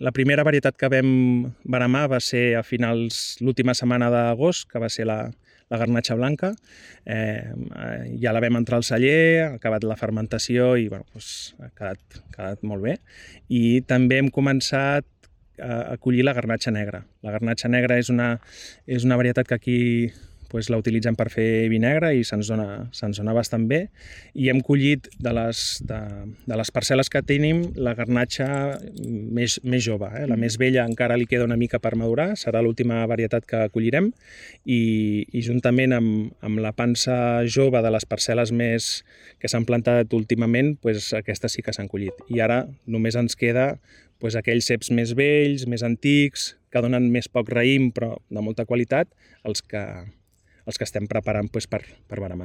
La primera varietat que vam veramar va ser a finals, l'última setmana d'agost, que va ser la garnatxa blanca. Ja la vam entrar al celler, ha acabat la fermentació i ha quedat molt bé. I també hem començat a collir la garnatxa negra. La garnatxa negra és una varietat que aquí la utilitzem per fer vi negre i se'ns dona bastant bé, i hem collit de les parcel·les que tenim la garnatxa més jove. La més vella encara li queda una mica per madurar, serà l'última varietat que collirem, i juntament amb la pansa jove de les parcel·les més que s'han plantat últimament, aquestes sí que s'han collit. I ara només ens queda aquells ceps més vells, més antics, que donen més poc raïm però de molta qualitat, els que estem preparant per veramar.